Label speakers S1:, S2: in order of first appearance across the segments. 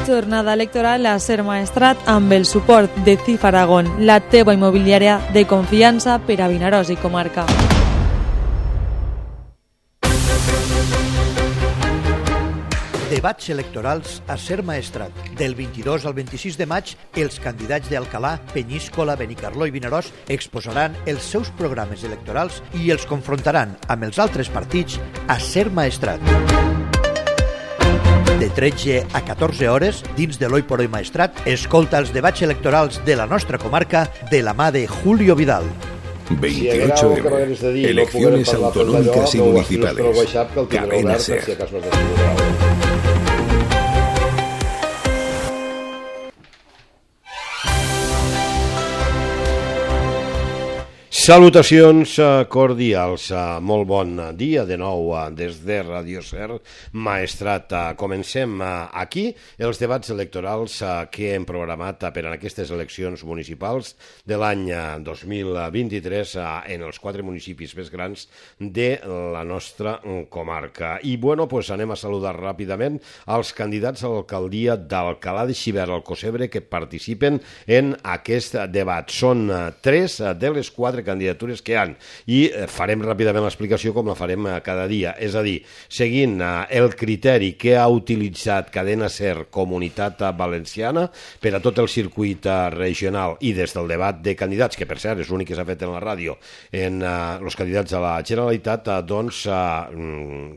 S1: Jornada electoral a Ser Maestrat amb el suport de CIF Aragón, la teva immobiliària de confiança per a Vinaròs i comarca.
S2: Debats electorals a Ser Maestrat. Del 22 al 26 de maig, els candidats d'Alcalà, Penyíscola, Benicarló i Vinaròs exposaran els seus programes electorals i els confrontaran amb els altres partits a Ser Maestrat. De 13 a 14 hores, dins de l'Oi por Hoy Maestrat, escolta els debats electorals de la nostra comarca de la mà de Julio Vidal.
S3: 28M. Elecciones autonómicas y municipales. Cadena SER.
S4: Salutacions cordials, molt bon dia de nou des de Radio Ser Maestrat. Comencem aquí els debats electorals que hem programat per a aquestes eleccions municipals de l'any 2023 en els 4 municipis més grans de la nostra comarca. I bueno, pues anem a saludar ràpidament als candidats a l'alcaldia d'Alcalà de Xivert, al Cosebre, que participen en aquest debat. Són 3 de les 4 candidatures que hi ha i farem ràpidament l'explicació com la farem cada dia, és a dir, seguint el criteri que ha utilitzat Cadena SER Comunitat Valenciana per a tot el circuit regional i des del debat de candidats, que per cert és l'únic que s'ha fet en la ràdio, en els candidats a la Generalitat, doncs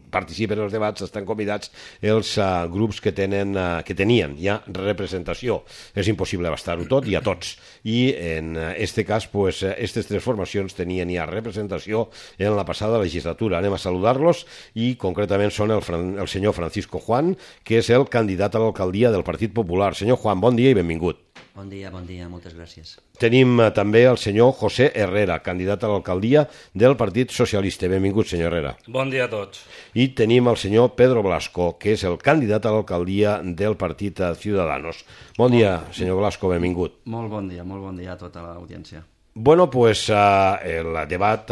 S4: participen en els debats, estan convidats els grups que tenien ja representació. És impossible abastar-ho tot i a tots, i en este cas, pues, aquestes 3 formacions tenien ja representació en la passada legislatura. Anem a saludar-los i concretament són el senyor Francisco Juan, que és el candidat a l'alcaldia del Partit Popular. Senyor Juan, bon dia i benvingut.
S5: Bon dia, moltes gràcies.
S4: Tenim també el senyor José Herrera, candidat a l'alcaldia del Partit Socialista. Benvingut, senyor Herrera.
S6: Bon dia a tots.
S4: I tenim el senyor Pedro Blasco, que és el candidat a l'alcaldia del Partit Ciudadanos. Bon dia, senyor Blasco, benvingut.
S5: Molt bon dia a tota l'audiència.
S4: Bueno, pues el debat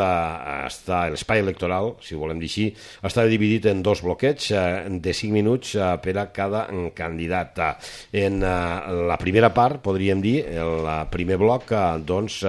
S4: està, l'espai electoral, si ho volem dir així, està dividit en 2 bloquets de 5 minuts per a cada candidat. En la primera part, podríem dir, el primer bloc, doncs,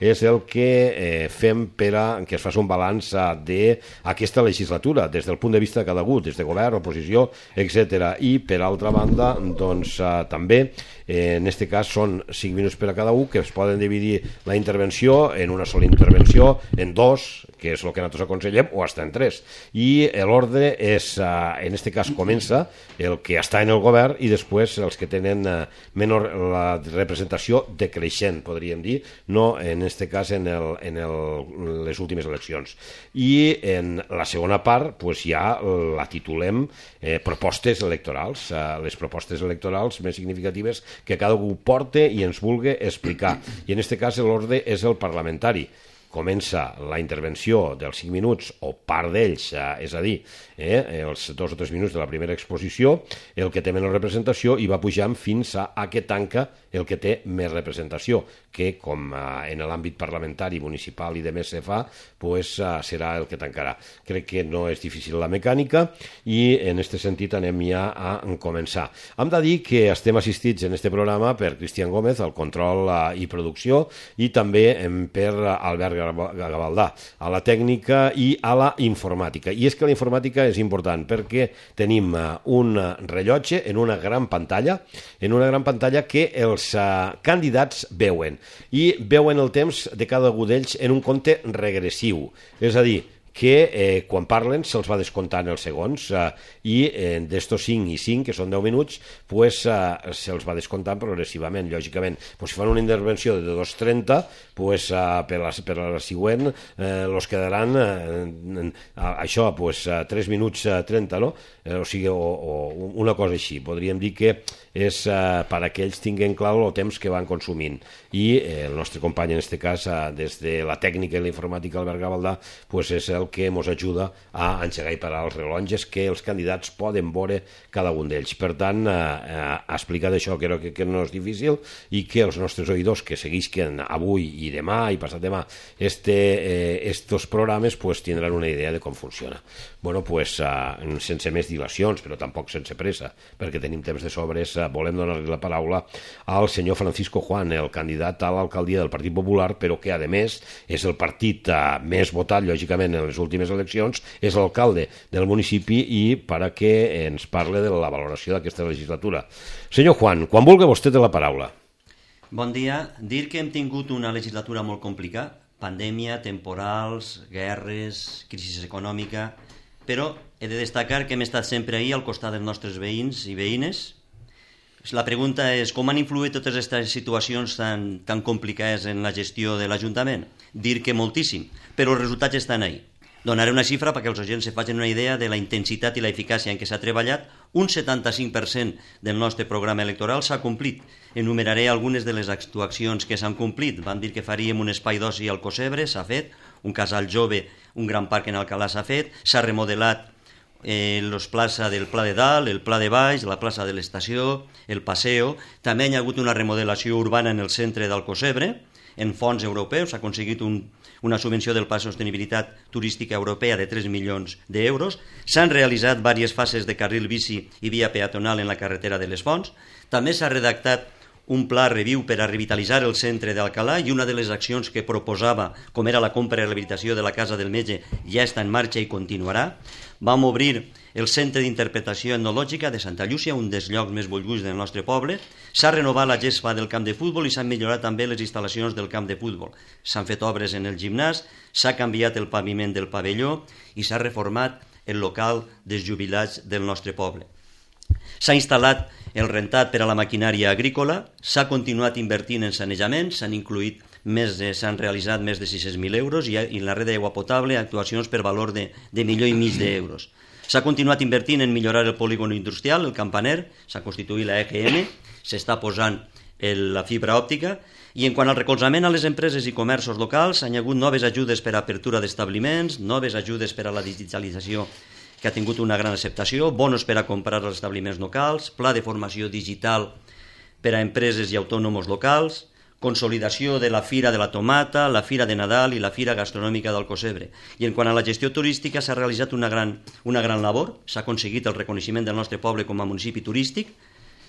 S4: és el que fem per a que es faci un balanç d'aquesta legislatura, des del punt de vista de cada un, des de govern, oposició, etc. I, per altra banda, doncs, també, en aquest cas, són 5 minuts per a cada un, que es poden dividir la intervenció en una sola intervenció, en 2, que és el que nosaltres aconsellem, o hasta en 3. I l'ordre és, en aquest cas, comença el que està en el govern i després els que tenen menor la representació decreixent, podríem dir, no en aquest cas en les últimes eleccions. I en la segona part, pues, ja la titulem propostes electorals, les propostes electorals més significatives que cada un porte i ens vulgui explicar. I en aquest cas l'ordre és el parlamentari. Comença la intervenció dels 5 minuts, o part d'ells, és a dir, els 2 o 3 minuts de la primera exposició, el que té menys representació, i va pujant fins a que tanca el que té més representació, que com en l'àmbit parlamentari, municipal i de més se fa, pues, serà el que tancarà. Crec que no és difícil la mecànica i en aquest sentit anem ja a començar. Hem de dir que estem assistits en aquest programa per Cristian Gómez, al control i producció, i també per Albert Gavaldà, a la tècnica i a la informàtica. I és que la informàtica és important perquè tenim un rellotge en una gran pantalla que els candidats veuen, i veuen el temps de cada un d'ells en un compte regressiu, és a dir, que quan parlen se'ls va descomptant els segons i d'estos 5 i 5, que són 10 minuts, pues, se'ls va descomptant progressivament, lògicament. Pues, si fan una intervenció de 2:30, pues, per la següent els quedaran això, pues, 3 minuts 30, no? O sigui, o una cosa així. Podríem dir que és perquè ells tinguin clar el temps que van consumint. I el nostre company, en aquest cas, des de la tècnica i la informàtica, Albert Gavaldà, pues, és el que ens ajuda a engegar i parar els rellotges que els candidats poden veure cada un d'ells. Per tant, explicar això crec que no és difícil, i que els nostres oïdors que seguisquen avui i demà i passat demà estos programes, pues, tindran una idea de com funciona. Bueno, pues, sense més dilacions, però tampoc sense pressa, perquè tenim temps de sobres volem donar-li la paraula al senyor Francisco Juan, el candidat a l'alcaldia del Partit Popular, però que, a més, és el partit més votat, lògicament, en les últimes eleccions, és l'alcalde del municipi i perquè ens parle de la valoració d'aquesta legislatura. Senyor Juan, quan vulgui vostè té la paraula.
S5: Bon dia. Dir que hem tingut una legislatura molt complicada, pandèmia, temporals, guerres, crisi econòmica, però he de destacar que hem estat sempre ahí al costat dels nostres veïns i veïnes. La pregunta és com han influït totes aquestes situacions tan complicades en la gestió de l'Ajuntament? Dir que moltíssim, però els resultats estan ahí. Donaré una xifra perquè els oients se facin una idea de la intensitat i la eficàcia en què s'ha treballat. Un 75% del nostre programa electoral s'ha complit. Enumeraré algunes de les actuacions que s'han complit. Vam dir que faríem un espai d'oci al Cosebre, s'ha fet, un casal jove, un gran parc en Alcalà s'ha fet, s'ha remodelat la plaça del Pla de Dalt, el Pla de Baix, la plaça de l'Estació, el Paseo. També hi ha hagut una remodelació urbana en el centre del Cosebre, en fons europeus, s'ha aconseguit una subvenció del Pla de Sostenibilitat Turística Europea de 3 milions d'euros. S'han realitzat diverses fases de carril bici i via peatonal en la carretera de les Fonts. També s'ha redactat un pla reviu per a revitalitzar el centre d'Alcalà i una de les accions que proposava, com era la compra i rehabilitació de la Casa del Metge, ja està en marxa i continuarà. Vam obrir el Centre d'Interpretació Etnològica de Santa Llúcia, un dels llocs més bolluts del nostre poble. S'ha renovat la gespa del camp de futbol i s'han millorat també les instal·lacions del camp de futbol. S'han fet obres en el gimnàs, s'ha canviat el paviment del pavelló i s'ha reformat el local dels jubilats del nostre poble. S'ha instal·lat el rentat per a la maquinària agrícola, s'ha continuat invertint en sanejament, s'han realitzat més de 600.000 euros i en la red d'aigua potable actuacions per valor de $1,5 milions. S'ha continuat invertint en millorar el polígon industrial, el Campaner, s'ha constituït la EGM, s'està posant la fibra òptica i en quant al recolzament a les empreses i comerços locals hi ha hagut noves ajudes per a apertura d'establiments, noves ajudes per a la digitalització que ha tingut una gran acceptació, bonos per a comprar als establiments locals, pla de formació digital per a empreses i autònoms locals, consolidació de la Fira de la Tomata, la Fira de Nadal i la Fira Gastronòmica del Cosebre. I en quant a la gestió turística s'ha realitzat una gran labor, s'ha aconseguit el reconeixement del nostre poble com a municipi turístic,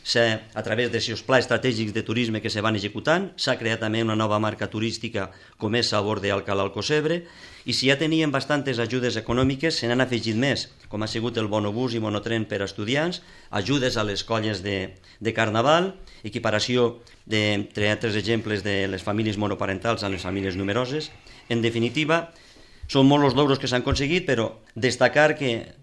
S5: a través dels plans estratègics de turisme que se van executant, s'ha creat també una nova marca turística com és Sabor d'Alcalà al Cosebre, i si ja teníem bastantes ajudes econòmiques, se n'han afegit més, com ha sigut el bonobús i monotren per a estudiants, ajudes a les colles de Carnaval, equiparació entre altres exemples de les famílies monoparentals a les famílies numeroses. En definitiva, són molts els logros que s'han aconseguit, però destacar que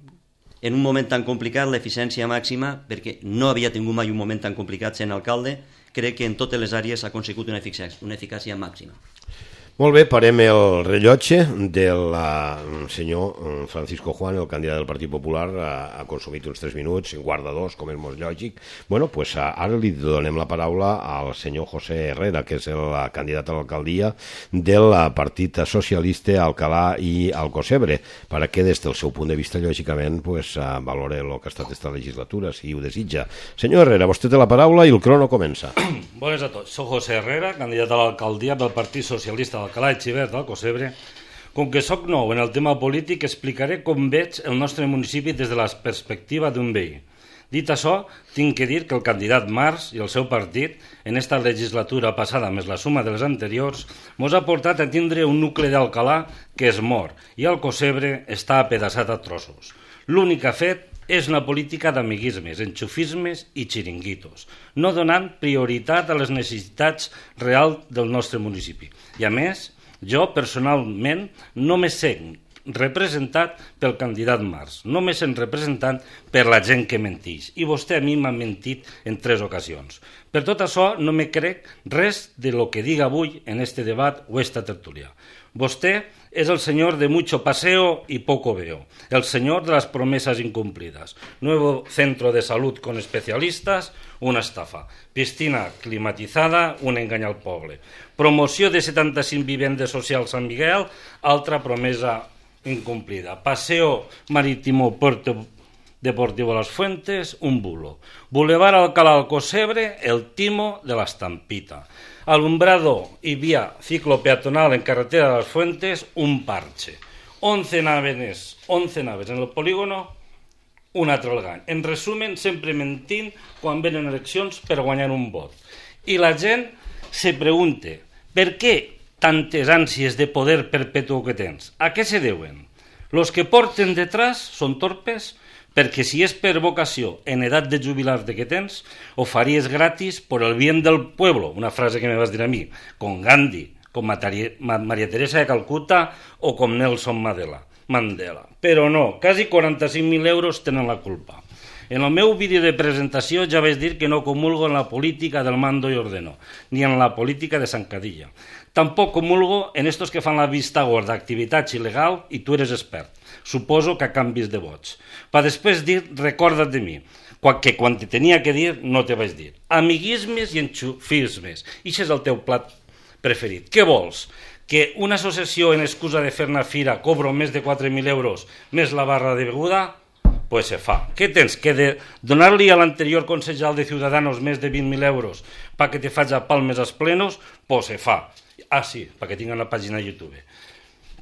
S5: en un moment tan complicat l'eficiència màxima, perquè no havia tingut mai un moment tan complicat sent alcalde, crec que en totes les àrees s'ha aconsegut una eficàcia màxima.
S4: Molt bé, parem el rellotge del senyor Francisco Juan, el candidat del Partit Popular. Ha consumit uns 3 minuts, en guarda 2, com és molt lògic. Bueno, pues ara li donem la paraula al senyor José Herrera, que és el candidat a l'alcaldia del Partit Socialista Alcalà i Alcocebre, perquè des del seu punt de vista, lògicament, pues, valore el que ha estat aquesta legislatura, si ho desitja. Senyor Herrera, vostè té la paraula i el crono comença.
S6: Bones a tots. Soc José Herrera, candidat a l'alcaldia del Partit Socialista d'Alcalà i Xivert d'Alcocebre. Com que sóc nou en el tema polític, explicaré com veig el nostre municipi des de la perspectiva d'un veí. Dit això, tinc que dir que el candidat Mas i el seu partit, en esta legislatura passada més la suma de les anteriors, mos ha portat a tindre un nucli d'Alcalà que és mort i Alcocebre està apedaçat a trossos. L'únic que ha fet és una política d'amiguismes, enxufismes i xiringuitos, no donant prioritat a les necessitats reals del nostre municipi. I a més, jo personalment no me sent representat pel candidat Mas, no me sent representant per la gent que mentix. I vostè a mi m'ha mentit en 3 ocasions. Per tot això no me crec res de lo que diga avui en este debat o esta tertúlia. Vostè es el señor de mucho paseo y poco veo, el señor de las promesas incumplidas. Nuevo centro de salud con especialistas, una estafa. Piscina climatizada, un engany al poble. Promoció de 75 vivendes socials a Sant Miguel, altra promesa incumplida. Paseo marítimo Puerto Deportivo Las Fuentes, un bulo. Boulevard Alcalá Alcocebre, el timo de la estampita. Alumbrado y vía ciclopeatonal en carretera de Las Fuentes, un parche. 11 naves en el polígono, un altre engany. En resumen, sempre mentint quan venen eleccions per guanyar un vot. I la gent se pregunta, per què tantes ànsies de poder perpetu que tens? A què se deuen? Los que porten detrás són torpes, perquè si és per vocació en edat de jubilar-te que tens, ho faries gratis por el bien del pueblo, una frase que me vas dir a mi, con Gandhi, com Maria Teresa de Calcuta o com Nelson Mandela. Però no, quasi 45.000 euros tenen la culpa. En el meu vídeo de presentació ja vaig dir que no comulgo en la política del mando y ordeno, ni en la política de zancadilla. Tampoc comulgo en estos que fan la vista gorda d'activitats il·legal i tu eres expert. Suposo que a canvis de vots. Per després dir, recorda't de mi, que quan te tenia que dir no te vaig dir. Amiguismes i enxufismes. I això és el teu plat preferit. Què vols? Que una associació en excusa de fer una fira cobro més de 4.000 euros més la barra de beguda? Pues se fa. Què tens? Que de donar-li a l'anterior concejal de Ciudadanos més de 20.000 euros perquè te faig a palmes als plenos? Pues se fa. Ah, sí, perquè tinc una pàgina a YouTube.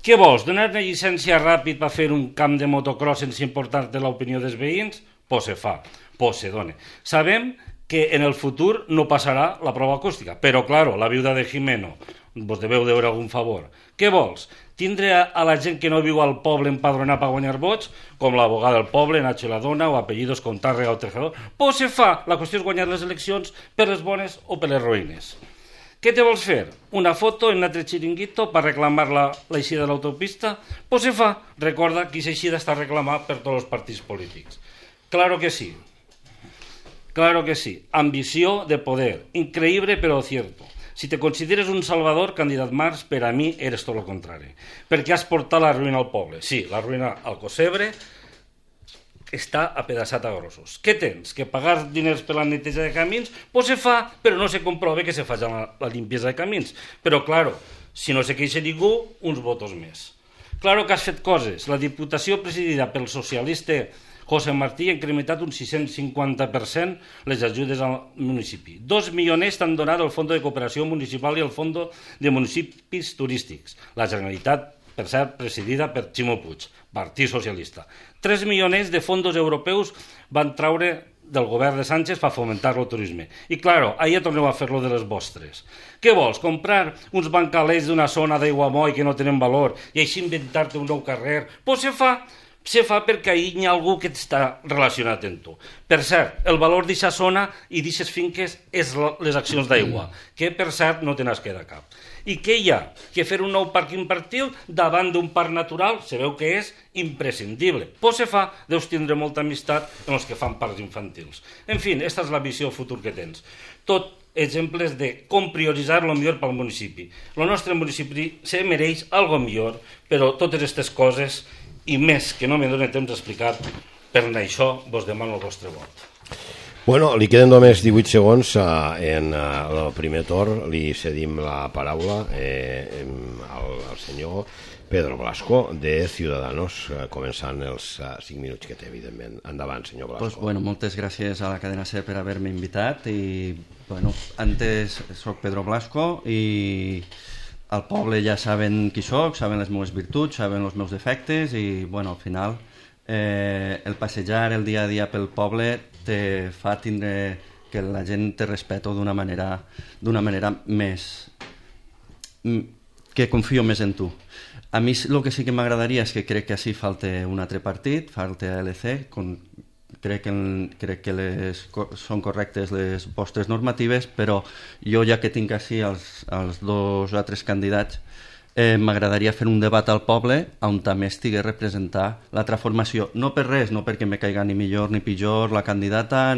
S6: Què vols? Donar una llicència ràpid per fer un camp de motocross sense importar-te l'opinió dels veïns? Pues se fa. Pues se dona. Sabem que en el futur no passarà la prova acústica, però, claro, la viuda de Jimeno vos deveu deure algun favor. Què vols? Tindre a la gent que no viu al poble empadronar per guanyar vots, com l'abogada del poble, Nacho la Dona, o apellidos con Tàrrega o Tejador? Pues se fa. La qüestió és guanyar les eleccions per les bones o per les roïnes. Què te vols fer? Una foto en un altre xiringuito per reclamar l'eixida de l'autopista? Pues se fa. Recorda que aquesta eixida està reclamada per tots els partits polítics. Claro que sí. Claro que sí. Ambició de poder. Increïble però cierto. Si te consideres un salvador, candidat Marx, per a mi eres tot el contrari. Perquè has portat la ruïna al poble. Sí, la ruïna al Cosebre està apedaçat a grossos. Què tens? Que pagar diners per la neteja de camins? Pues se fa, però no se comprova que se faci la limpiesa de camins. Però, claro, si no se queixa ningú, uns votos més. Claro que has fet coses. La Diputació presidida pel socialista José Martí ha incrementat un 650% les ajudes al municipi. 2 milioners t'han donat el Fons de Cooperació Municipal i el Fons de Municipis Turístics. La Generalitat, per cert, presidida per Ximo Puig, Partit Socialista. 3 milioners de fons europeus van traure del govern de Sánchez per fomentar el turisme. I, claro, ahir torneu a fer-lo de les vostres. Què vols? Comprar uns bancalets d'una zona d'Aiguamoll que no tenen valor i així inventar-te un nou carrer? Pues se fa perquè ahir hi ha algú que està relacionat amb tu. Per cert, el valor d'aquesta zona i d'aquestes finques és les accions d'aigua, que per cert no te n'has quedat cap. I què hi ha? Que fer un nou parc infantil davant d'un parc natural se veu que és imprescindible. Pues se fa, deus tindre molta amistat amb els que fan parcs infantils. En fi, aquesta és la visió futur que tens. Tot exemples de com prioritzar el millor pel municipi. El nostre municipi se mereix algo millor, però totes aquestes coses i més que no me dóna temps d'explicar, per això vos demano el vostre vot.
S4: Bueno, li queden només 18 segons en el primer torn. Li cedim la paraula al senyor Pedro Blasco de Ciudadanos, començant els 5 minuts que té, evidentment. Endavant, senyor Blasco.
S5: Pues, bueno, moltes gràcies a la cadena SER per haver-me invitat i, bueno, antes soc Pedro Blasco i al poble ja saben qui soc, saben les meves virtuts, saben els meus defectes i, bueno, al final el passejar el dia a dia pel poble te fa tindre que la gent te respecta d'una manera més que confio més en tu. A mi el que sí que m'agradaria és que crec que així falta un altre partit, falta LC, crec que són correctes les vostres normatives, però jo ja que tinc així els dos altres candidats, m'agradaria fer un debat al poble on també estigui representar la transformació, no per res, no perquè me caiga ni millor ni pitjor la candidata,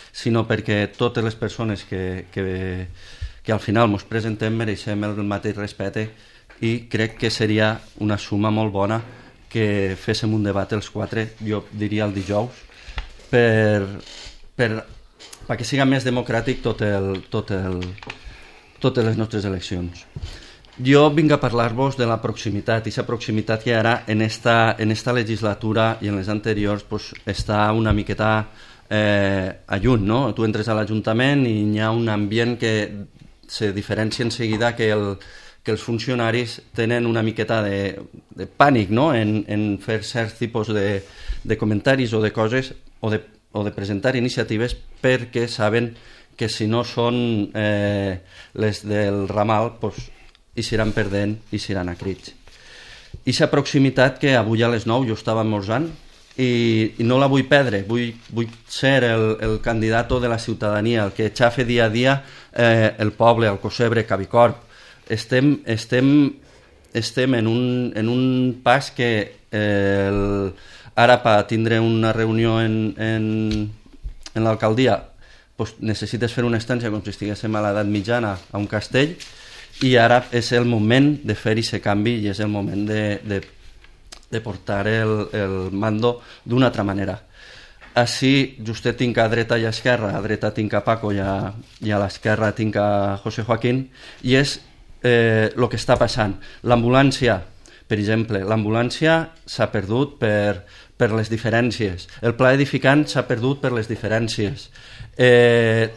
S5: sinó perquè totes les persones que al final ens presentem mereixem el mateix respecte i crec que seria una suma molt bona que féssim un debat els quatre, jo diria el dijous, perquè siga més democràtic totes les nostres eleccions. Jo vinc a parlar-vos de la proximitat, i aquesta proximitat que ara en esta legislatura i en les anteriors pues, està una miqueta a lluny, no? Tu entres a l'Ajuntament i hi ha un ambient que se diferencia en seguida que
S7: que els funcionaris tenen una miqueta de pànic, no?, en fer certs tipus de comentaris o de coses o de presentar iniciatives, perquè saben que si no són les del ramal, doncs hi seran perdent i seran a crits. I la proximitat que avui a les 9 jo estava esmorzant i no la vull perdre, vull ser el candidat de la ciutadania, el que xafe dia a dia el poble, el Cosebre, Cabicorb. Estem en un pas que ara per tindre una reunió en l'alcaldia necessites fer una estància com si estiguéssim a l'edat mitjana a un castell, i ara és el moment de fer aquest canvi i és el moment de portar el mando d'una altra manera. Així, justet tinc a dreta i a esquerra, a dreta tinc a Paco i a l'esquerra tinc a José Joaquín, i és el que està passant. L'ambulància, per exemple, s'ha perdut per les diferències. El pla edificant s'ha perdut per les diferències.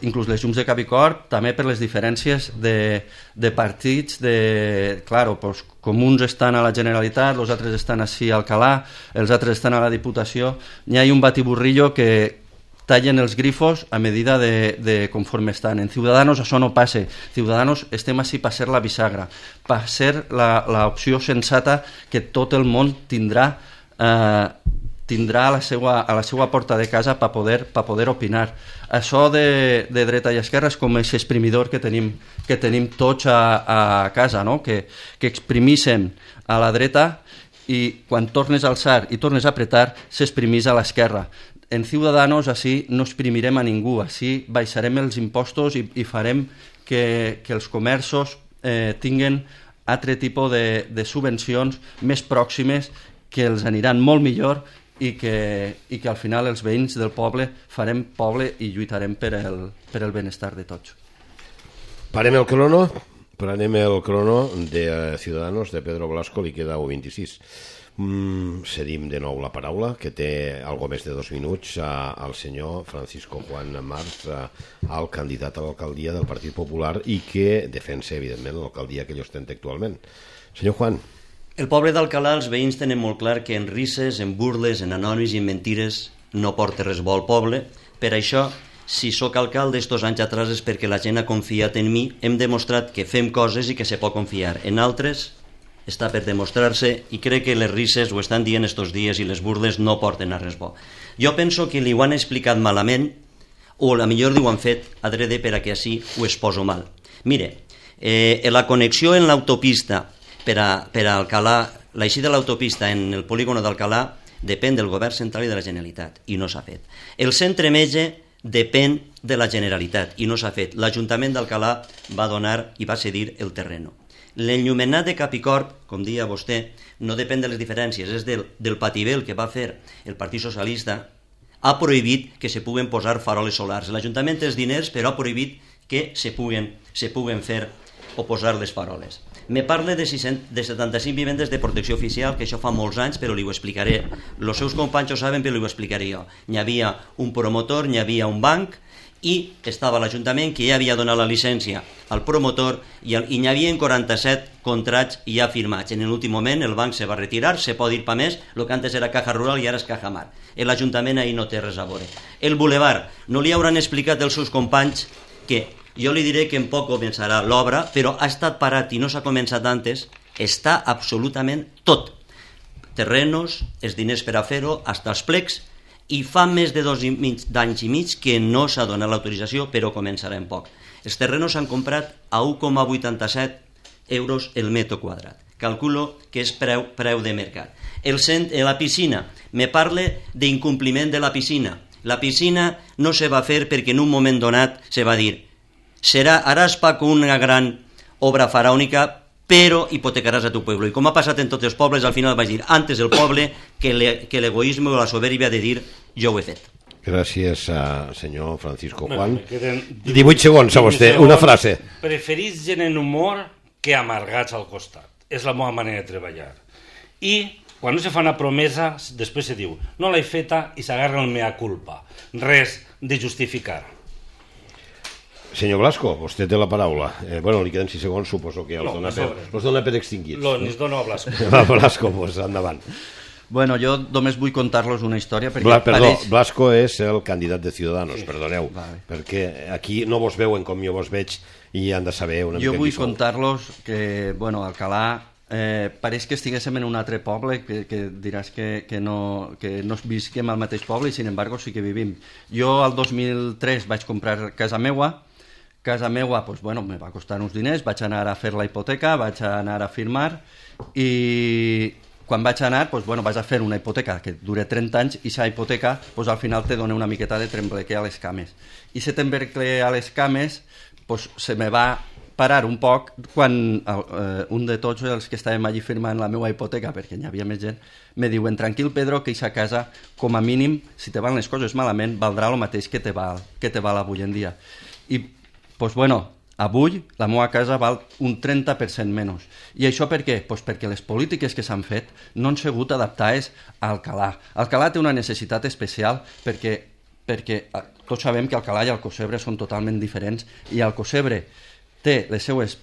S7: Inclús les llums de Cabicorb també per les diferències de partits. Claro, pues, com uns estan a la Generalitat, els altres estan així a Alcalá, els altres estan a la Diputació, hi ha un batiburrillo que tallen els grifos a medida de conforme estan. En Ciudadanos això no passa. Ciudadanos estem així per ser la bisagra, per ser l'opció sensata que tot el món tindrà a la seva porta de casa per poder opinar. Això de dreta i esquerra és com aquest exprimidor que tenim tots a casa, no? que exprimissen a la dreta i quan tornes a alçar i tornes a apretar s'exprimís a l'esquerra. En Ciudadanos així no exprimirem a ningú, així baixarem els impostos i farem que els comerços tinguin altre tipus de subvencions més pròximes que els aniran molt millor i que al final els veïns del poble farem poble i lluitarem per el benestar de tots.
S4: Parem el crono de Ciudadanos, de Pedro Blasco, li queda 1:26. Cedim de nou la paraula, que té algo més de 2 minuts, al senyor Francisco Juan Marz, al candidat a l'alcaldia del Partit Popular i que defensa, evidentment, l'alcaldia que ell ostenta actualment. Senyor Juan.
S5: El poble d'Alcalà, els veïns tenen molt clar que en risses, en burles, en anònims i en mentires no porta res bo al poble. Per això, si sóc alcalde estos anys atrás és perquè la gent ha confiat en mi, hem demostrat que fem coses i que se pot confiar. En altres està per demostrar-se i crec que les risses ho estan dient estos dies i les burles no porten a res bo. Jo penso que li ho han explicat malament o a millor ho han fet adrede per a que així ho exposo mal. Mire, la connexió en l'autopista per a Alcalà, l'eixida de l'autopista en el polígono d'Alcalà depèn del govern central i de la Generalitat i no s'ha fet. El centre metge depèn de la Generalitat i no s'ha fet. L'Ajuntament d'Alcalà va donar i va cedir el terreno. L'enllumenat de Capicorb, com dia vostè, no depèn de les diferències, és del patibel que va fer el Partit Socialista. Ha prohibit que se puguen posar faroles solars. L'Ajuntament té els diners, però ha prohibit que se puguen fer o posar les faroles. Me parla de 75 vivendes de protecció oficial, que això fa molts anys, però li ho explicaré. Els seus companys ho saben, però li ho explicaré jo. Hi havia un promotor, hi havia un banc, i estava l'Ajuntament que ja havia donat la llicència al promotor i hi havia 47 contrats ja firmats. En l'últim moment el banc se va retirar, se pot dir pa més, el que antes era Caja Rural i ara és Caja Mar. L'Ajuntament ahir no té res a veure. El Boulevard, no li hauran explicat als seus companys que jo li diré que en poc començarà l'obra, però ha estat parat i no s'ha començat antes, està absolutament tot. Terrenos, els diners per a fer-ho, fins els plecs, i fa més de 2 anys i mig que no s'ha donat l'autorització, però començarà en poc. Els terrenos s'han comprat a 1,87 euros el metro quadrat. Calculo que és preu de mercat. La piscina, me parla d'incompliment de la piscina. La piscina no se va fer perquè en un moment donat se va dir haràs Paco una gran obra faraònica, però hipotecaràs a tu pueblo. I com ha passat en tots els pobles, al final vaig dir antes el poble que l'egoisme o la soberbia de dir jo ho he fet.
S4: Gràcies, senyor Francisco Juan. 18 segons a vostè, una frase.
S6: Preferís gent en humor que amargats al costat. És la meva manera de treballar. I quan no se fa una promesa, després se diu no l'he feta i s'agarra el mea culpa. Res de justificar.
S4: Senyor Blasco, vostè té la paraula. Bueno, li queden 6 segons, suposo que els dona per extingits.
S6: Els dono a Blasco.
S4: Blasco, doncs endavant.
S7: Bueno, jo només vull contar-los una història perquè
S4: Perdó, Blasco és el candidat de Ciudadanos, perdoneu, perquè aquí no vos veuen com jo vos veig i han de saber una mica.
S7: Jo vull contar-los que, bueno, Alcalà pareix que estiguéssim en un altre poble, que diràs que no visquem al mateix poble i, sin embargo, sí que vivim. Jo, al 2003, vaig comprar casa meua, doncs, bueno, me va costar uns diners, vaig anar a fer la hipoteca, vaig anar a firmar i quan vaig anar, doncs, bueno, vaig a fer una hipoteca que dura 30 anys i aquesta hipoteca doncs, al final te dona una miqueta de trembleque a les cames. I aquest trembleque a les cames doncs, se me va parar un poc quan un de tots els que estàvem allí firmant la meva hipoteca, perquè hi havia més gent, me diuen, tranquil Pedro, que aquesta casa, com a mínim, si te van les coses malament, valdrà el mateix que te val avui en dia. I, doncs, bueno, avui la meva casa val un 30% menys. I això per què? Doncs perquè les polítiques que s'han fet no han sigut adaptades a Alcalà. Alcalà té una necessitat especial perquè tots sabem que Alcalà i Alcocebre són totalment diferents i Alcocebre té les seues...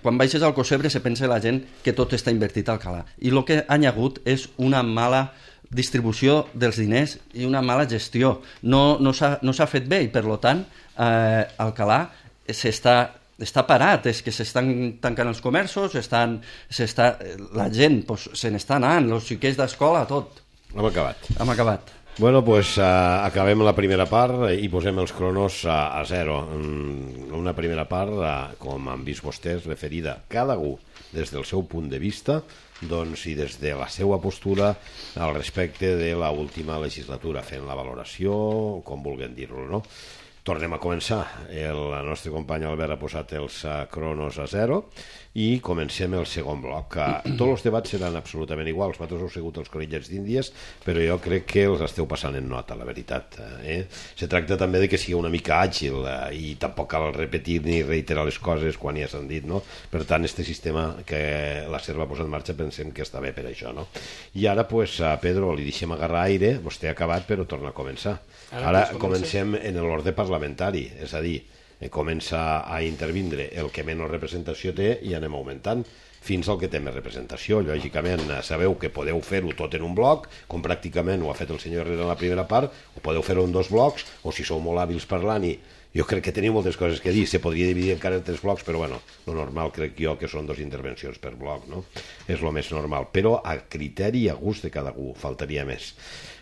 S7: Quan baixes al Alcocebre se pensa la gent que tot està invertit a Alcalà. I el que ha hagut és una mala distribució dels diners i una mala gestió. No s'ha fet bé i, per tant, Alcalà està parat, és que s'estan tancant els comerços, la gent se n'està anant, els xiquets d'escola, tot.
S4: Hem acabat.
S7: Bueno,
S4: doncs acabem la primera part i posem els cronos a 0. Una primera part, com han vist vostès, referida cada un des del seu punt de vista i des de la seva postura al respecte de l'última legislatura, fent la valoració, com vulguem dir-lo, no? Tornem a començar. El nostre company Albert ha posat els cronos a 0 i comencem el segon bloc. Tots els debats seran absolutament iguals. Vosaltres heu sigut els conillets d'Índies, però jo crec que els esteu passant en nota, la veritat. Se tracta també de que sigui una mica àgil i tampoc cal repetir ni reiterar les coses quan ja s'han dit, no? Per tant, este sistema que la SER va posar en marxa pensem que està bé per això, no? I ara, a Pedro, li deixem agarrar aire. Vostè ha acabat, però torna a començar. Ara comencem en l'ordre parlamentari, és a dir, comença a intervindre el que menys representació té i anem augmentant fins al que té més representació. Lògicament, sabeu que podeu fer-ho tot en un bloc, com pràcticament ho ha fet el senyor Herrera en la primera part, o podeu fer-ho en 2 blocs, o si sou molt hàbils parlant i jo crec que teniu moltes coses que dir, se podria dividir encara en 3 blocs, però bueno, lo normal crec jo que són 2 intervencions per bloc, no? És lo més normal, però a criteri i a gust de cada un, faltaria més.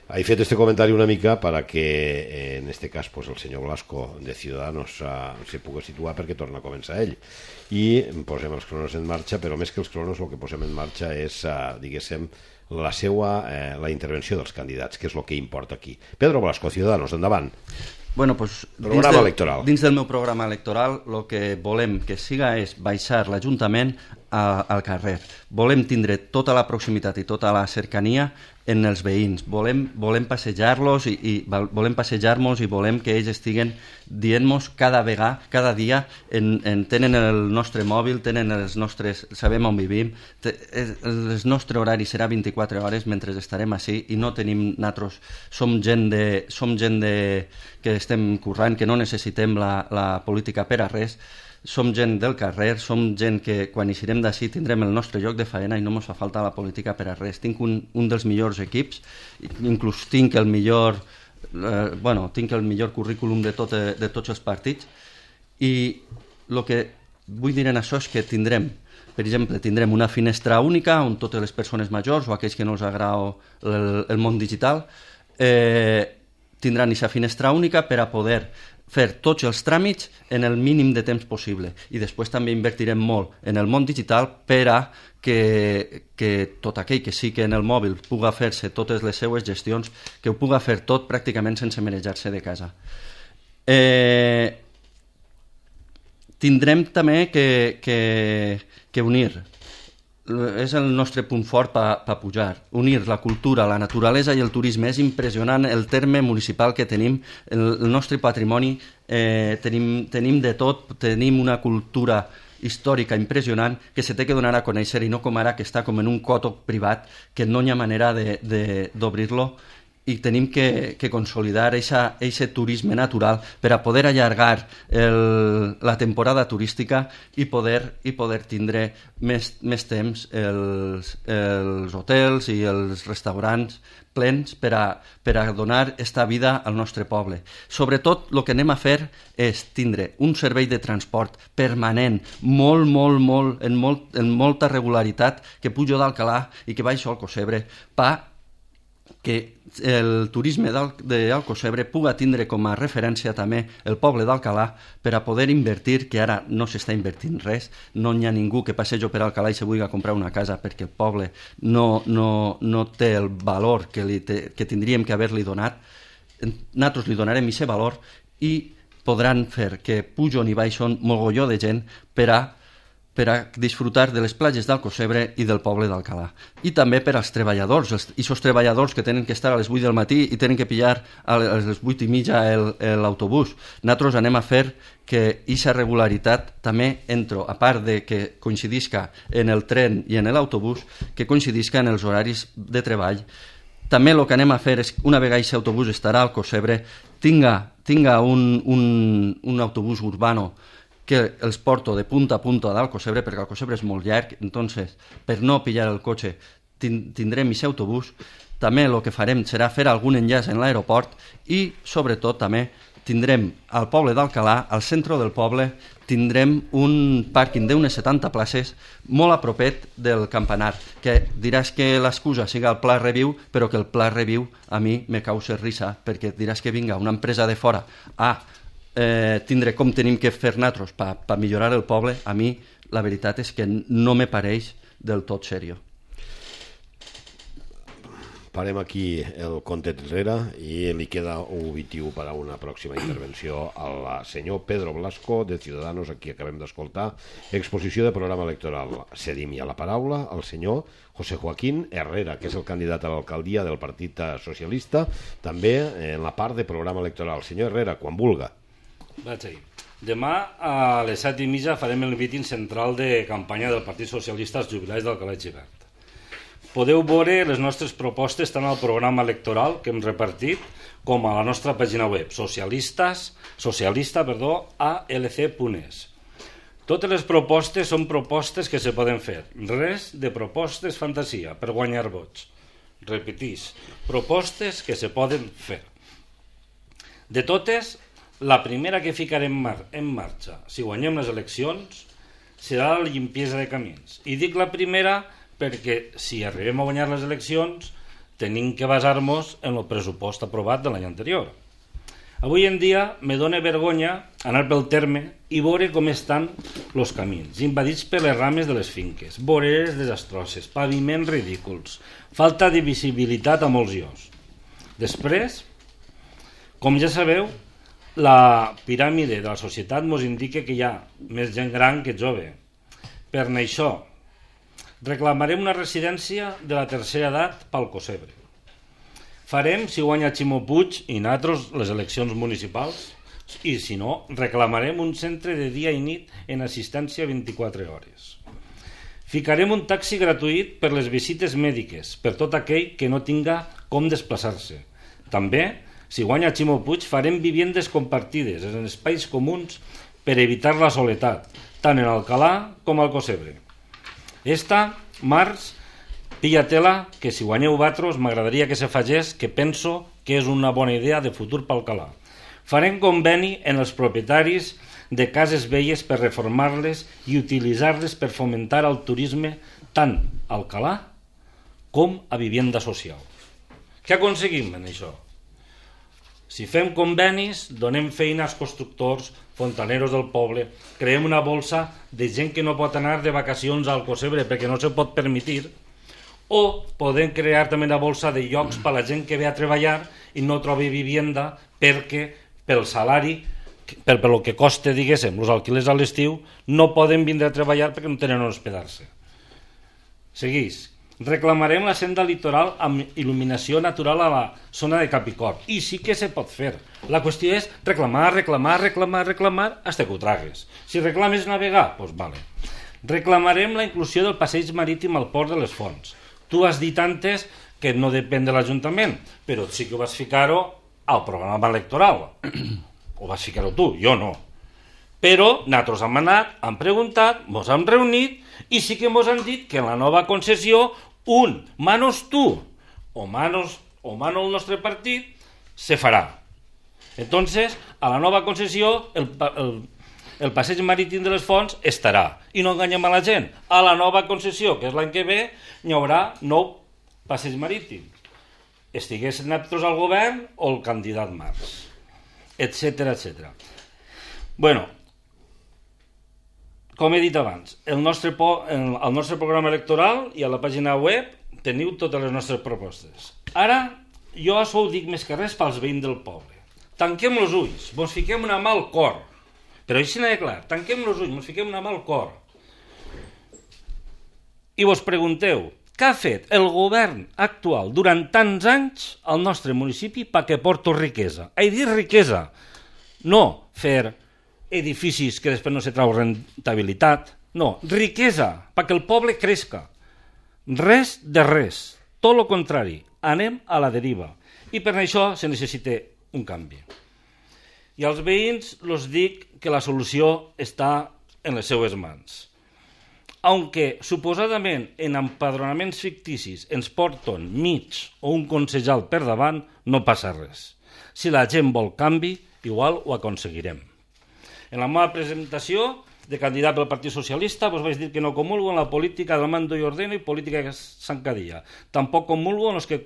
S4: He fet este comentari una mica para que, en este cas, el senyor Blasco de Ciudadanos se pugui situar perquè torna a començar ell. I posem els cronos en marxa, però més que els cronos el que posem en marxa és, diguéssim, la intervenció dels candidats, que és el que importa aquí. Pedro Blasco, Ciudadanos, endavant.
S7: Bueno, pues, dins del meu programa electoral el que volem que siga és baixar l'Ajuntament al carrer. Volem tindre tota la proximitat i tota la cercania en els veïns. Volem passejar-los i volem que ells estiguen dient-nos cada dia tenen el nostre mòbil, tenen sabem on vivim, el nostre horari serà 24 hores mentre estarem així i no tenim nosaltres, som gent que estem currant, que no necessitem la política per a res. Som gent del carrer, som gent que quan eixirem d'ací tindrem el nostre lloc de faena i no ens fa falta la política per a res. Tinc un dels millors equips, inclús tinc el millor currículum de tots els partits i el que vull dir en això és que tindrem, per exemple, una finestra única on totes les persones majors o aquells que no els agrada el món digital tindran aquesta finestra única per a poder fer tots els tràmits en el mínim de temps possible. I després també invertirem molt en el món digital per a que tot aquell que sí que en el mòbil puga fer-se totes les seues gestions, que ho puga fer tot pràcticament sense manejar-se de casa. Tindrem també que unir, és el nostre punt fort per pujar, unir la cultura, la naturalesa i el turisme. És impressionant el terme municipal que tenim, el nostre patrimoni, tenim de tot, tenim una cultura històrica impressionant que se té que donar a conèixer i no com ara que està com en un coto privat que no hi ha manera d'obrir-lo i tenim que consolidar aquest turisme natural per a poder allargar la temporada turística i poder tindre més temps els hotels i els restaurants plens per a donar esta vida al nostre poble. Sobretot, el que anem a fer és tindre un servei de transport permanent, en molta regularitat, que pujo d'Alcalà i que baixo al Cosebre, que el turisme d'Alcocebre puga tindre com a referència també el poble d'Alcalà per a poder invertir, que ara no s'està invertint res, no hi ha ningú que passejo per Alcalà i se vulgui comprar una casa perquè el poble no té el valor que tindríem que haver-li donat. Nosaltres li donarem aquest valor i podran fer que pujon i baixen mogolló de gent per a disfrutar de les platges d'Alcocebre i del poble d'Alcalà. I també per als treballadors, aquests treballadors que tenen que estar a les 8 del matí i tenen que pillar a les 8 i mitja l'autobús. Nosaltres anem a fer que aquesta regularitat també a part de que coincidisca en el tren i en l'autobús, que coincidisca en els horaris de treball. També el que anem a fer és, una vegada aquest autobús estarà al Cosebre, tinga un autobús urbano que els porto de punta a punta d'Alcocebre, perquè Alcocebre és molt llarg, entonces, per no pillar el cotxe, tindrem aquest autobús. També el que farem serà fer algun enllaç en l'aeroport i, sobretot, també tindrem al poble d'Alcalà, al centre del poble, tindrem un pàrquing d'unes 70 places molt a propet del campanar, que diràs que l'excusa siga el Pla Reviu, però que el Pla Reviu a mi me causa risa, perquè diràs que vinga una empresa de fora tindre com tenim que fer nosaltres per millorar el poble. A mi la veritat és que no me pareix del tot seriós.
S4: Parem aquí el compte enrere i li queda un obitiu per a una pròxima intervenció al senyor Pedro Blasco, de Ciudadanos, a qui acabem d'escoltar. Exposició de programa electoral. Cedim ja la paraula al senyor José Joaquín Herrera, que és el candidat a l'alcaldia del Partit Socialista, també en la part de programa electoral. Senyor Herrera, quan vulga.
S6: Vaig ahir. Demà a les 7:30 farem el míting central de campanya del Partit Socialista als jubilats d'Alcalà i Xivert. Podeu veure les nostres propostes tant al programa electoral que hem repartit com a la nostra pàgina web socialista.alc.es. Totes les propostes són propostes que se poden fer. Res de propostes fantasia per guanyar vots. Repetís, propostes que se poden fer. De totes, la primera que ficarem en marxa, si guanyem les eleccions, serà la limpiesa de camins. I dic la primera perquè si arribem a guanyar les eleccions tenim que basar-nos en el pressupost aprovat de l'any anterior. Avui en dia me dóna vergonya anar pel terme i veure com estan els camins, invadits per les rames de les finques, voreres desastroses, paviments ridículs, falta de visibilitat a molts llocs. Després, com ja sabeu, la piràmide de la societat ens indica que hi ha més gent gran que jove. Per això, reclamarem una residència de la tercera edat pel Cosebre. Farem, si guanya Ximo Puig i nosaltres, les eleccions municipals, i si no, reclamarem un centre de dia i nit en assistència 24 hores. Ficarem un taxi gratuït per les visites mèdiques, per tot aquell que no tinga com desplaçar-se. També, si guanya Ximo Puig, farem viviendes compartides en espais comuns per evitar la soledat, tant en Alcalà com al Cosebre. Març, pilla tela, que si guanyeu vosaltres m'agradaria que se fagés, que penso que és una bona idea de futur per Alcalà. Farem conveni en els propietaris de cases velles per reformar-les i utilitzar-les per fomentar el turisme tant a Alcalà com a vivienda social. Què aconseguim en això? Si fem convenis, donem feina als constructors, fontaneros del poble, creem una bolsa de gent que no pot anar de vacacions al Cosebre perquè no se pot permetir, o podem crear també una bolsa de llocs per a la gent que ve a treballar i no trobi vivienda perquè pel salari, per el que costa, diguéssim, els alquilers a l'estiu, no poden vindre a treballar perquè no tenen on hospedar-se. Seguís. Reclamarem la senda litoral amb il·luminació natural a la zona de Capicor. I sí que se pot fer. La qüestió és reclamar, fins que ho tragues. Si reclames navegar, doncs vale. Reclamarem la inclusió del passeig marítim al port de les Fonts. Tu has dit antes que no depèn de l'Ajuntament, però sí que vas ficar-ho al programa electoral. O vas ficar-ho tu, jo no. Però nosaltres hem anat, hem preguntat, ens hem reunit i sí que ens han dit que en la nova concessió manos tu o manos el nostre partit se farà. Entonces, a la nova concessió el passeig marítim de les Fonts estarà. I no enganyem a la gent. A la nova concessió, que és l'any que ve, hi haurà 9 passeig marítim. Estigués nosaltres al govern o el candidat Marx, etcètera, etcètera. Bueno, com he dit abans, al nostre programa electoral i a la pàgina web teniu totes les nostres propostes. Ara, jo això ho dic més que res pels veïns del poble. Tanquem els ulls, ens fiquem una mà al cor. Però així n'hi ha clar, tanquem els ulls, ens fiquem una mà al cor. I vos pregunteu, què ha fet el govern actual durant tants anys al nostre municipi perquè porto riquesa? He dit riquesa, no fer edificis que després no se trau rentabilitat, no, riquesa, perquè el poble crezca. Res de res, tot el contrari, anem a la deriva. I per això se necessita un canvi. I als veïns els dic que la solució està en les seues mans. Aunque suposadament en empadronaments ficticis ens porten mig o un concejal per davant, no passa res. Si la gent vol canvi, igual ho aconseguirem. En la meva presentació de candidat pel Partit Socialista vos vaig dir que no comulgo en la política del mando y ordeno i política de zancadilla. Tampoc comulgo en els que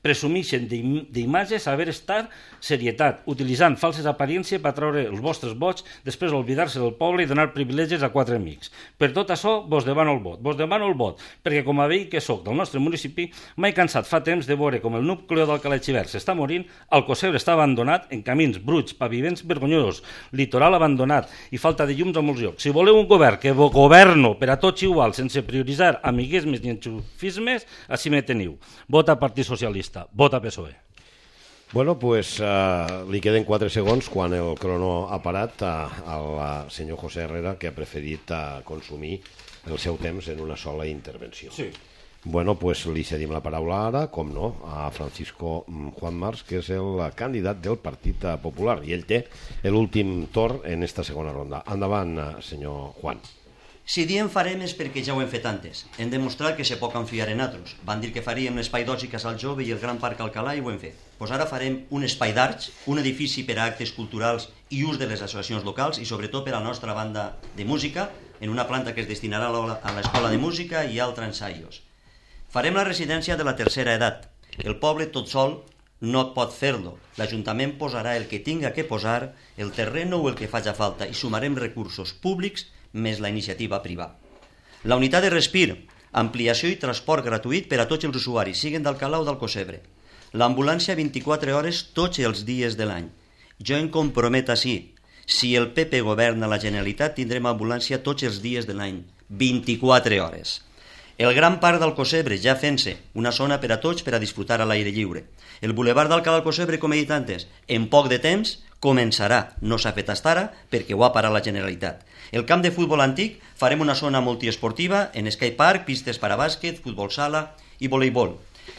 S6: presumeixen d'imatges haver estat serietat, utilitzant falses aparències per treure els vostres vots, després oblidar-se del poble i donar privilegis a 4 amics. Per tot això vos demano el vot, perquè com a veí que soc del nostre municipi, m'he cansat fa temps de veure com el núcleo d'Alcalà Xivert s'està morint, el Cosebre està abandonat en camins bruts, paviments vergonyosos, litoral abandonat i falta de llums a molts llocs. Si voleu un govern que governo per a tots igual, sense prioritzar amiguismes ni enxufismes, així me teniu. Vota Partit Socialista, vota PSOE.
S4: Bueno, pues li queden 4 segons quan el crono ha parat al senyor José Herrera, que ha preferit consumir el seu temps en una sola intervenció.
S6: Sí.
S4: Bueno, pues li cedim la paraula ara, com no, a Francisco Juan Marx, que és el candidat del Partit Popular, i ell té l'últim torn en esta segona ronda. Endavant, senyor Juan.
S5: Si diem farem és perquè ja ho hem fet antes. Hem demostrat que se pot confiar en altres. Van dir que faríem l'espai d'oci Casal Jove i el Gran Parc Alcalà i ho hem fet. Doncs ara farem un espai d'arts, un edifici per a actes culturals i ús de les associacions locals i sobretot per a la nostra banda de música, en una planta que es destinarà a l'escola de música i altres ensaios. Farem la residència de la tercera edat. El poble tot sol no pot fer-lo. L'Ajuntament posarà el que tinga que posar, el terreno o el que faci falta, i sumarem recursos públics més la iniciativa privada. La unitat de respir, ampliació i transport gratuït per a tots els usuaris, siguin d'Alcalà o del Cosebre. L'ambulància 24 hores tots els dies de l'any. Jo em comprometo així. Si el PP governa la Generalitat, tindrem ambulància tots els dies de l'any, 24 hores. El Gran Parc del Cosebre, ja fent-se, una zona per a tots per a disfrutar a l'aire lliure. El bulevard d'Alcalà del Cosebre, com he dit antes, en poc de temps començarà. No s'ha fet fins ara perquè ho ha parat la Generalitat. El camp de futbol antic farem una zona multiesportiva en skatepark, pistes per a bàsquet, futbol sala i voleibol.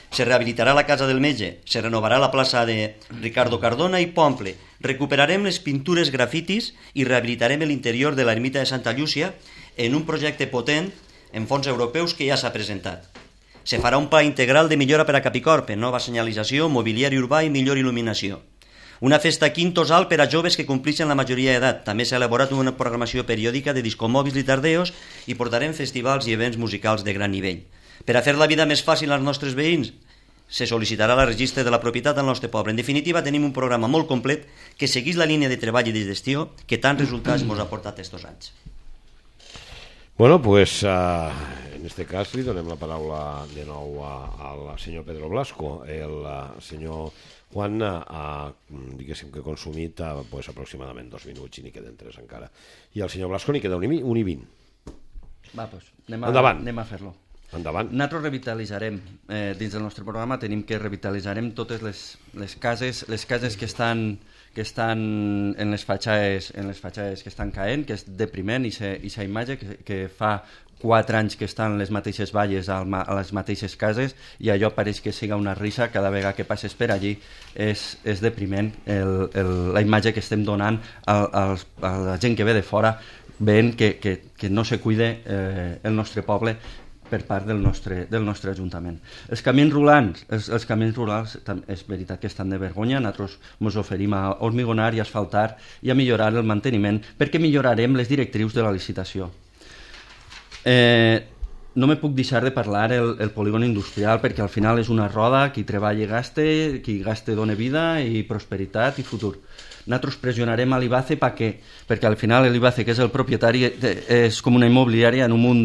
S5: Se rehabilitarà la casa del metge, se renovarà la plaça de Ricardo Cardona i Pomple, recuperarem les pintures grafitis i rehabilitarem l'interior de l'ermita de Santa Llúcia en un projecte potent en fons europeus que ja s'ha presentat. Se farà un pla integral de millora per a Capicorp, nova senyalització, mobiliari urbà i millor il·luminació. Una festa quintosal per a joves que complixen la majoria d'edat. També s'ha elaborat una programació periòdica de discomòbils i tardeos i portarem festivals i events musicals de gran nivell. Per a fer la vida més fàcil als nostres veïns, se sol·licitarà el registre de la propietat al nostre poble. En definitiva, tenim un programa molt complet que segueix la línia de treball i de gestió que tants resultats ens ha portat estos anys.
S4: Bueno, pues en este cas li donem la paraula de nou al senyor Pedro Blasco. El senyor Juan diguéssim que ha consumit pues, aproximadament 2 minuts i n'hi queden 3 encara. I al senyor Blasco n'hi queda 1 i 20.
S7: Va, doncs anem a fer-lo.
S4: Endavant.
S7: Nosaltres revitalitzarem, dins del nostre programa tenim que revitalitzarem totes les cases que que estan en les fatxades que estan caent, que és depriment, i aquesta imatge que fa 4 anys que estan les mateixes valles a les mateixes cases, i allò pareix que siga una risa cada vegada que passes per allí. És depriment la imatge que estem donant a la gent que ve de fora, veient que no se cuida el nostre poble per part del nostre Ajuntament. Els camins rurals és veritat que estan de vergonya. Nosaltres ens oferim a hormigonar i asfaltar i a millorar el manteniment, perquè millorarem les directrius de la licitació. No me puc deixar de parlar el polígon industrial, perquè al final és una roda, qui treballa gaste, qui gaste dona vida i prosperitat i futur. Nosaltres pressionarem a l'IBACE perquè al final l'IBACE, que és el propietari, és com una immobiliària en un munt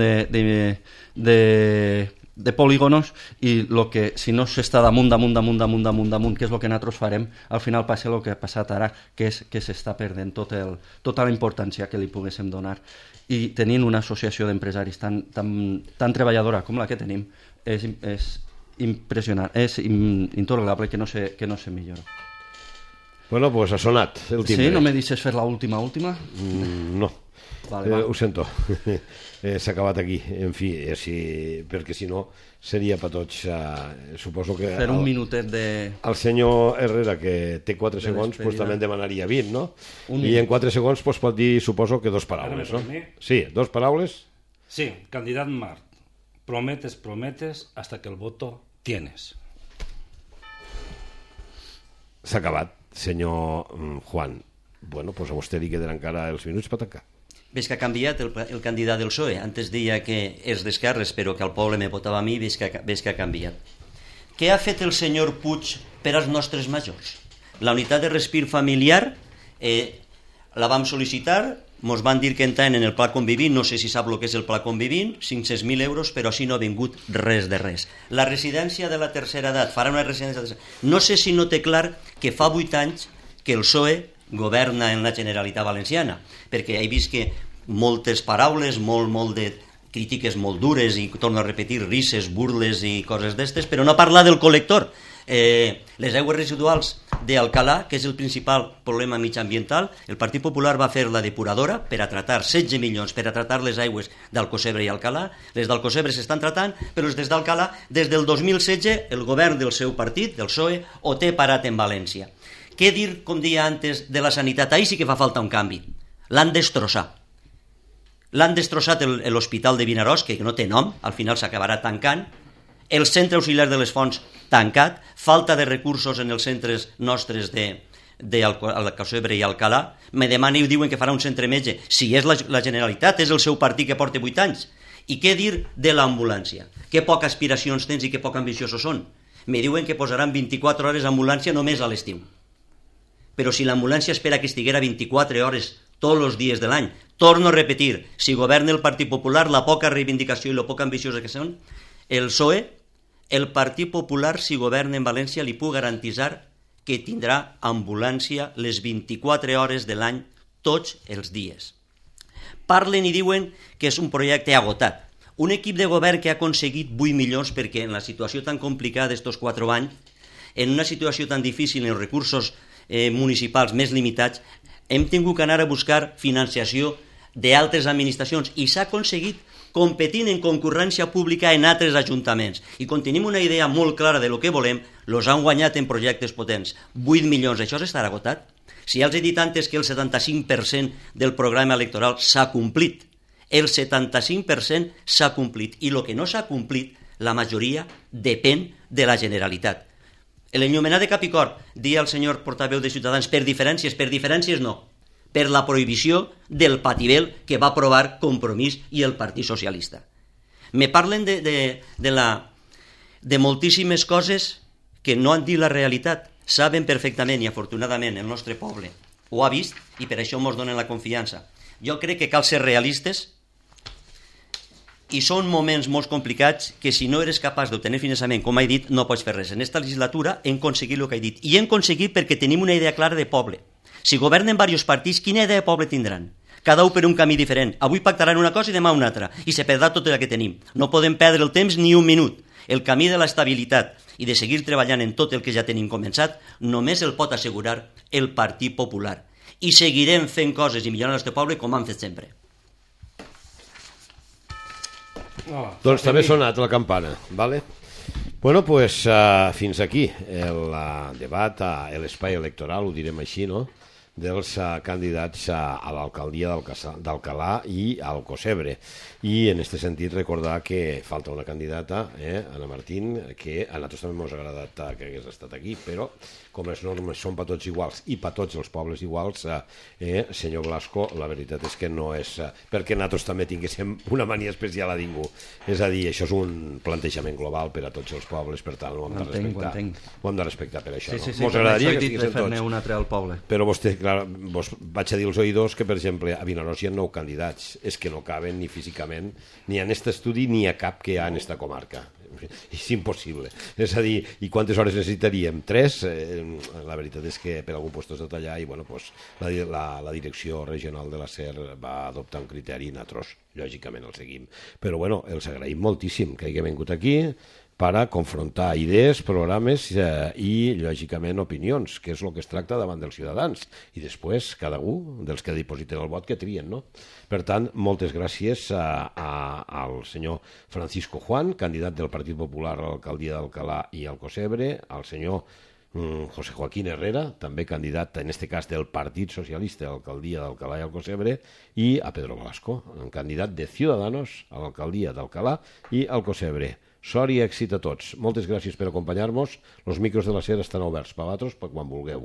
S7: de polígonos, i si no s'està damunt, que és el que nosaltres farem, al final passa el que ha passat ara, que és que s'està perdent tota la importància que li poguéssim donar. I tenint una associació d'empresaris tan treballadora com la que tenim, és impressionant, és intolerable que no se millora.
S4: Bueno, pues ha sonat el timbre.
S7: Sí, no me deixes fer l'última?
S4: No.
S7: Vale.
S4: Ho sento. S'ha acabat aquí. En fi, perquè si no seria per tots. Suposo que
S7: fer un minutet de...
S4: El senyor Herrera, que té 4 segons, pues, també en demanaria 20, no? I en 4 segons pues, pot dir, suposo que 2 paraules, no? Sí, 2 paraules.
S6: Sí, candidat Marc. Prometes hasta que el voto tienes.
S4: S'ha acabat, senyor Juan. Bueno, pues a vostè li quedaran encara els minuts per tancar.
S5: Ves que ha canviat el candidat del PSOE. Antes deia que és d'esquerres, però que el poble me votava a mi, ves que ha canviat. Què ha fet el senyor Puig per als nostres majors? La unitat de respir familiar la vam sol·licitar, mos van dir que entren en el Pla Convivint, no sé si sap el que és el Pla Convivint, 500.000 euros, però així no ha vingut res de res. La residència de la tercera edat, farà una residència de la tercera edat. No sé si no té clar que fa 8 anys que el PSOE governa en la Generalitat Valenciana, perquè he vist que moltes paraules, molt de crítiques molt dures, i torno a repetir, risses, burles i coses d'estes, però no parlar del col·lector. Les aigües residuals d'Alcalà, que és el principal problema mitjambiental, el Partit Popular va fer la depuradora per a tratar 16 milions per a tratar les aigües d'Alcocebre i Alcalà. Les d'Alcocebre s'estan tratant, però les d'Alcalà, des del 2016, el govern del seu partit, del PSOE, ho té parat en València. Què dir, com deia antes, de la sanitat? Ahir sí que fa falta un canvi. L'han destrossat. L'han destrossat l'Hospital de Vinaròs, que no té nom, al final s'acabarà tancant. El centre auxiliar de les Fonts tancat, falta de recursos en els centres nostres d'Alcocebre i Alcalà. Me demanen i diuen que farà un centre metge. Si és la Generalitat, és el seu partit que porta 8 anys. I què dir de l'ambulància? Que poques aspiracions tens i que poc ambiciosos són. Me diuen que posaran 24 hores d'ambulància només a l'estiu. Però si l'ambulància espera que estiguera 24 hores tots els dies de l'any, torno a repetir, si governa el Partit Popular, la poca reivindicació i la poca ambiciosa que són, el PSOE, el Partit Popular, si governa en València, li puc garantitzar que tindrà ambulància les 24 hores de l'any, tots els dies. Parlen i diuen que és un projecte agotat. Un equip de govern que ha aconseguit 8 milions perquè en la situació tan complicada d'estos 4 anys, en una situació tan difícil, en els recursos municipals més limitats, hem tingut que anar a buscar financiació d'altres administracions i s'ha aconseguit competint en concurrència pública en altres ajuntaments. I quan tenim una idea molt clara de lo que volem, los han guanyat en projectes potents. 8 milions, això s'estarà agotat? Si ja els he dit antes que el 75% del programa electoral s'ha complit, el 75% s'ha complit, i el que no s'ha complit, la majoria depèn de la Generalitat. L'enllumenat de Capicor, dia el senyor portaveu de Ciutadans, per diferències no, per la prohibició del patibel que va aprovar Compromís i el Partit Socialista. Me parlen de moltíssimes coses que no han dit la realitat. Saben perfectament, i afortunadament el nostre poble ho ha vist, i per això ens donen la confiança. Jo crec que cal ser realistes, i són moments molt complicats que si no eres capaç d'obtenir finançament, com he dit, no pots fer res. En aquesta legislatura hem aconseguit el que he dit, i hem aconseguit perquè tenim una idea clara de poble. Si governen diversos partits, quina idea de poble tindran? Cada un per un camí diferent. Avui pactaran una cosa i demà una altra, i se perdrà tot el que tenim. No podem perdre el temps ni un minut. El camí de l'estabilitat i de seguir treballant en tot el que ja tenim començat només el pot assegurar el Partit Popular. I seguirem fent coses i millorant el nostre poble com han fet sempre.
S4: Doncs també ha sonat la campana, vale? Bueno, pues fins aquí el debat, l'espai electoral, ho direm així, no?, dels candidats a l'alcaldia d'Alcalà i al Cosebre. I en aquest sentit recordar que falta una candidata, Anna Martín, que a nosaltres també ens ha agradat que hagués estat aquí, però com les normes són per tots iguals i per tots els pobles iguals, senyor Blasco, la veritat és que no és perquè nosaltres també tinguéssim una mania especial a ningú. És a dir, això és un plantejament global per a tots els pobles, per tant ho hem de respectar. Ho hem de respectar per això.
S7: Sí, mos agradaria que estiguessin tots. Un altre al poble.
S4: Però vostè, clar, vos vaig a dir als oïdors que, per exemple, a Vinaròs hi ha 9 candidats. És que no caben ni físicament, ni en aquest estudi, ni a cap que hi ha en esta comarca. És impossible. És a dir, i quantes hores necessitaríem? 3? La veritat és que per algun lloc has de tallar i, bueno, pues, la direcció regional de la SER va adoptar un criteri i nosaltres, lògicament, el seguim. Però, bueno, els agraïm moltíssim que hagin vingut aquí per a confrontar idees, programes i, lògicament, opinions, que és el que es tracta davant dels ciutadans. I després, cada un dels que dipositen el vot que trien, no? Per tant, moltes gràcies al senyor Francisco Juan, candidat del Partit Popular a l'alcaldia d'Alcalà i al Cosebre, al senyor José Joaquín Herrera, també candidat, en este cas, del Partit Socialista a l'alcaldia d'Alcalà i al Cosebre, i a Pedro Velasco, candidat de Ciudadanos a l'alcaldia d'Alcalà i al Cosebre. Sort i èxit a tots. Moltes gràcies per acompanyar-nos. Els micros de la SER estan oberts per vosaltres per quan vulgueu.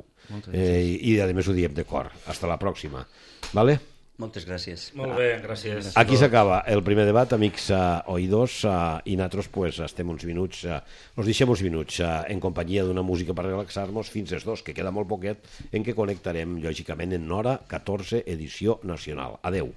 S4: I, a més, ho diem de cor. Hasta la pròxima. Vale?
S5: Moltes gràcies.
S6: Molt bé, gràcies.
S4: Aquí s'acaba el primer debat, amics oïdors, i nosaltres pues, estem uns minuts, ens deixem uns minuts en companyia d'una música per relaxar-nos fins als 2, que queda molt poquet, en què connectarem, lògicament, en hora 14, edició nacional. Adeu.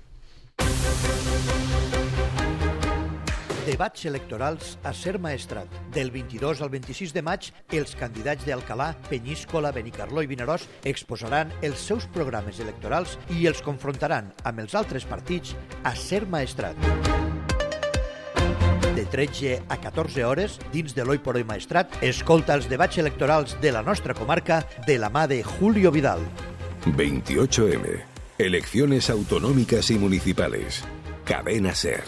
S2: Debats electorals a Ser Maestrat. Del 22 al 26 de maig, els candidats d'Alcalà, Penyíscola, Benicarló i Vinaròs exposaran els seus programes electorals i els confrontaran amb els altres partits a Ser Maestrat. De 13 a 14 hores, dins de l'Oi por Hoy Maestrat, escolta els debats electorals de la nostra comarca de la mà de Julio Vidal.
S3: 28M. Elecciones autonómicas y municipales. Cadena SER.